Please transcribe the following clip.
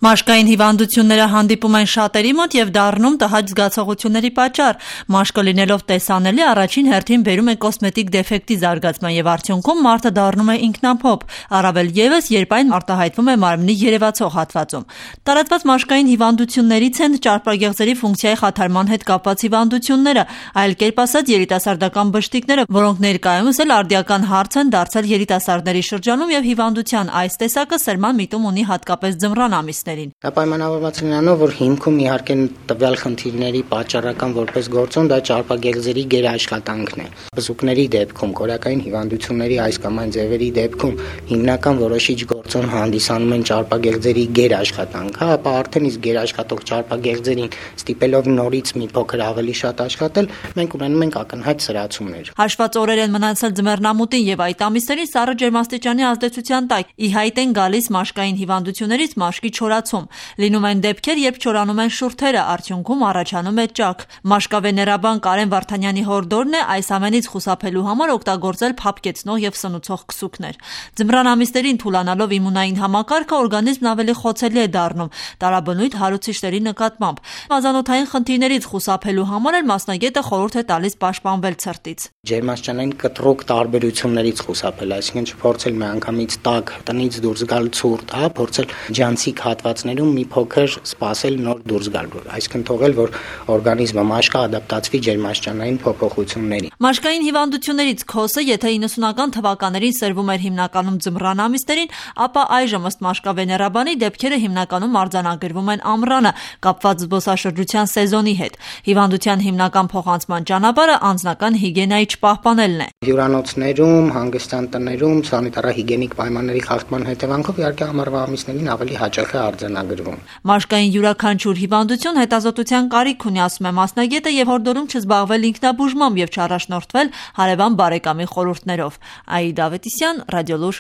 Մաշկային հիվանդությունները հանդիպում են շատերի մոտ եւ դառնում տհաճ զգացողությունների պատճառ։ Մաշկը լինելով տեսանելի, առաջին հերթին բերում է կոսմետիկ դեֆեկտի զարգացման եւ արդյունքում մարդը դառնում է ինքնափոփ, առավել եւս, երբ այն արտահայտվում է մարմնի երևացող հատվածում։ Տարածված մաշկային հիվանդություններից են ճարպագեղձերի ֆունկցիայի խաթարման հետ կապված հիվանդությունները, այլ կերպ ասած երիտասարդական բշտիկները, որոնք ներկայումս էլ արդիական հարց են դարձել երիտասարդների շրջանում եւ հիվանդության այս տեսակը սերման միտում ունի հատկապես ձմռան ամիսներին։ Դա պայմանավորված է նրանով, որ հիմքում իհարկե տվյալ խնդիրների պատճառական որպես գործոն դա ճարպագեղձերի գերաշխատանքն է։ Բզուկների դեպքում, կորակային հիվանդությունների այս կամ այն ձևերի դեպքում հիմնական որոշիչ գործոն հանդիսանում են ճարպագեղձերի գերաշխատանքը, ապա արդեն իսկ գերաշխատող ճարպագեղձերին ստիպելով նորից մի փոքր ավելի շատ աշխատել, մենք ունենում ենք ակնհայտ սրացումներ։ Հաշված օրեր են մնացել ձմեռնամուտին եւ այդ ամիսներին սառը ջերմաստիճանի ազդեցության տակ ի հայտ են գալիս մաշկային հիվանդություններից մաշկի չորացում։ Լինում են դեպքեր, երբ չորանում են շուրթերը, արդյունքում առաջանում է ճաք։ Մաշկավեներաբան Կարեն Վարդանյանի հորդորն է այս ամենից խուսափելու համար օգտագործել փափկեցնող եւ սնուցող քսուկներ։ Ձմռան ամիսներին թուլանալով իմունային համակարգը օրգանիզմն ավելի խոցելի է դառնում տարաբնույթ հարուցիչների նկատմամբ։ Մազանոթային խնդիրներից խուսափելու համար էլ մասնագետը խորհուրդ է տալիս պաշտպանվել ցրտից։ Ջերմաստիճանային կտրուկ տարբերություններից խուսափել, այսինքն չփորձել միանգամից տաք տնից դուրս գալ ցուրտ, փորձել ջանցիկ հատվածներում մի փոքր սպասել նոր դուրս գալ, այսինքն թողել, որ օրգանիզմը մաշկը ադապտացվի ջերմաստիճանային փոփոխություններին։ Մաշկային հիվանդություններից քոսը, եթե 90-ական թվականներին սերվում էր հիմնականում ձմռան ամիսներին, ապա այժմ ըստ մաշկավեներաբանի դեպքերը հիմնականում արձանագրվում են ամռանը, կապված զբոսաշրջության սեզոնի հետ։ Հիվանդության հիմնական փոխանցման ճանապարհը անձնական հիգիենայի չպահպանելն է։ Հյուրանոցներում, հանգստյան տներում սանիտարահիգիենիկ պայմանների խախտման հետևանքով իհարկե ամառվա ամիսներին ավելի հաճախ է արձանագրվում։ Մաշկային յուրաքանչյուր հիվանդություն հետազոտության կարիք ունի, ասում է մասնագետը եւ հորդորում չզբաղվել ինքնաբուժմամբ եւ չառաջնորդվել հարևան բարեկամի խորհուրդներով։ Աիդա Ավետիսյան, Ռադիոլուր։